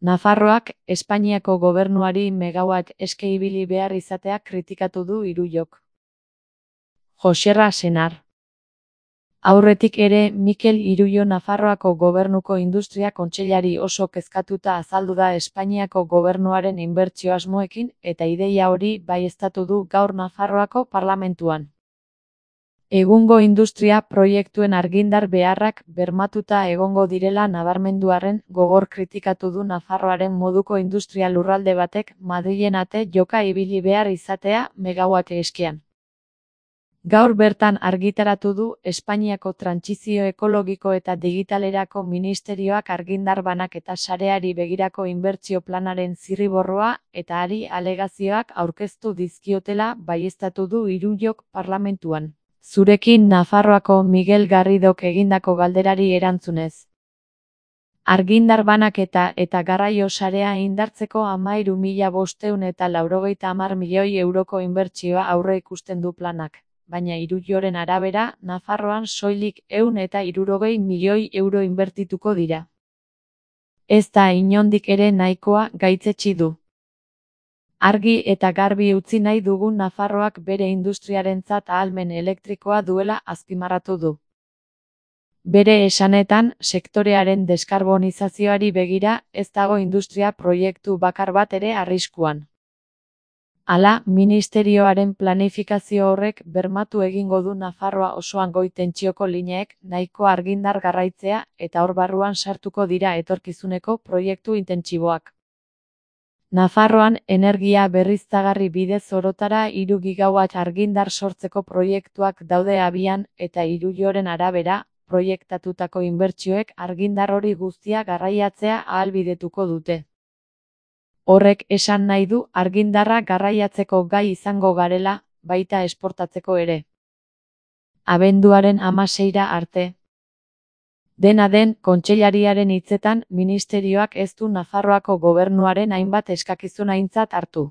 Nafarroak Espainiako gobernuari megawatt eske ibili behar izatea kritikatu du Iruyok. Joserra Senar. Aurretik ere, Mikel Iruyo Nafarroako gobernuko industria kontseilari oso kezkatuta azaldu da Espainiako gobernuaren inbertsio asmoekin eta ideia hori baieztatu du gaur Nafarroako parlamentuan. Egungo industria proiektuen argindar beharrak bermatuta egongo direla nabarmenduarren gogor kritikatu du Nafarroaren moduko industria lurralde batek Madrilen ate joka ibili behar izatea megawatt eskean. Gaur bertan argitaratu du Espainiako trantsizio ekologiko eta digitalerako ministerioak argindar banaketa sareari begirako inbertsio planaren zirriborroa eta hari alegazioak aurkeztu dizkiotela baieztatu du Iruyok parlamentuan. Zurekin Nafarroako Miguel Garridok egindako galderari erantzunez. Argindar banaketa eta garraio sarea indartzeko 13.590 milioi euroko inbertsioa aurreikusten du planak, baina Iruyoren arabera, Nafarroan soilik 160 milioi euro inbertituko dira. Ez da inondik ere nahikoa, gaitzetsi du. Argi eta garbi utzi nahi dugun Nafarroak bere industriarentzat ahalmen elektrikoa duela azpimarratu du. Bere esanetan, sektorearen deskarbonizazioari begira ez dago industria proiektu bakar bat ere arriskuan. Hala, ministerioaren planifikazio horrek bermatu egingo du Nafarroa osoan goi tentsioko lineek nahiko argindar garraitzea eta hor barruan sartuko dira etorkizuneko proiektu intentsiboak. Nafarroan energia berriztagarri bidez orotara 3 gigawatt argindar sortzeko proiektuak daude abian eta Iruyoren arabera, proiektatutako inbertsioek argindar hori guztia garraiatzea ahalbidetuko dute. Horrek esan nahi du argindarra garraiatzeko gai izango garela, baita esportatzeko ere. Abenduaren 16 arte. Dena den, kontseilariaren hitzetan, ministerioak ez du Nafarroako gobernuaren hainbat eskakizun aintzat hartu.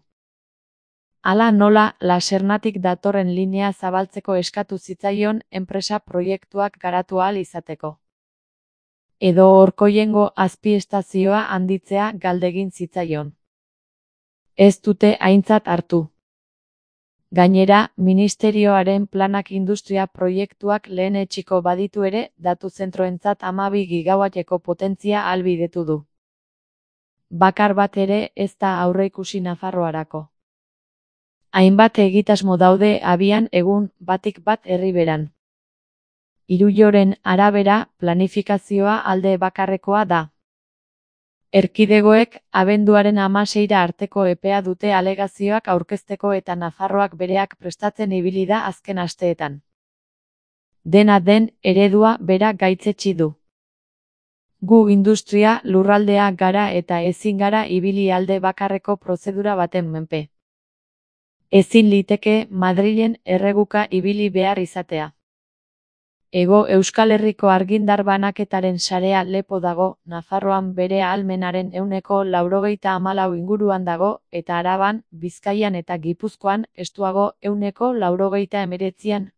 Hala nola, Lasernatik datorren linea zabaltzeko eskatu zitzaion enpresa proiektuak garatu ahal izateko. Edo Orkoiengo azpiestazioa handitzea galdegin zitzaion. Ez dute aintzat hartu. Gainera, ministerioaren planak industria proiektuak lehenetsiko baditu ere, datu zentroentzat 12 gigawatteko potentzia ahalbidetu du. Bakar bat ere ez da aurreikusi Nafarroarako. Hainbat egitasmo daude abian egun batik bat herriberan. Iruyoren arabera, planifikazioa alde bakarrekoa da. Erkidegoek abenduaren 16 arteko epea dute alegazioak aurkezteko eta Nafarroak bereak prestatzen ibili da azken asteetan. Dena den, eredua bera gaitzetsi du. Gu industria lurraldea gara eta ezin gara ibili alde bakarreko prozedura baten menpe. Ezin liteke Madrilen erreguka ibili behar izatea. Hego Euskal Herriko argindar banaketaren sarea lepo dago, Nafarroan bere ahalmenaren 94 inguruan dago, eta Araban, Bizkaian eta Gipuzkoan estuago 99.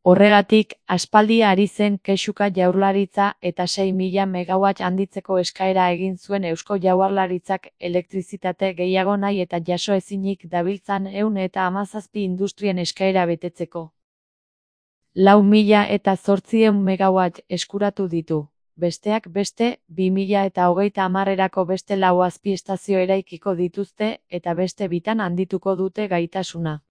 Horregatik, aspaldi ari zen kexuka Jaurlaritza eta 6.000 megawatt handitzeko eskaera egin zuen Eusko Jaurlaritzak elektrizitate gehiago nahi eta jaso ezinik dabiltzan 117 industrien eskaera betetzeko. 4.800 megawatt eskuratu ditu. Besteak beste, 2030erako beste 4 azpiestazio eraikiko dituzte eta beste 2 handituko dute gaitasuna.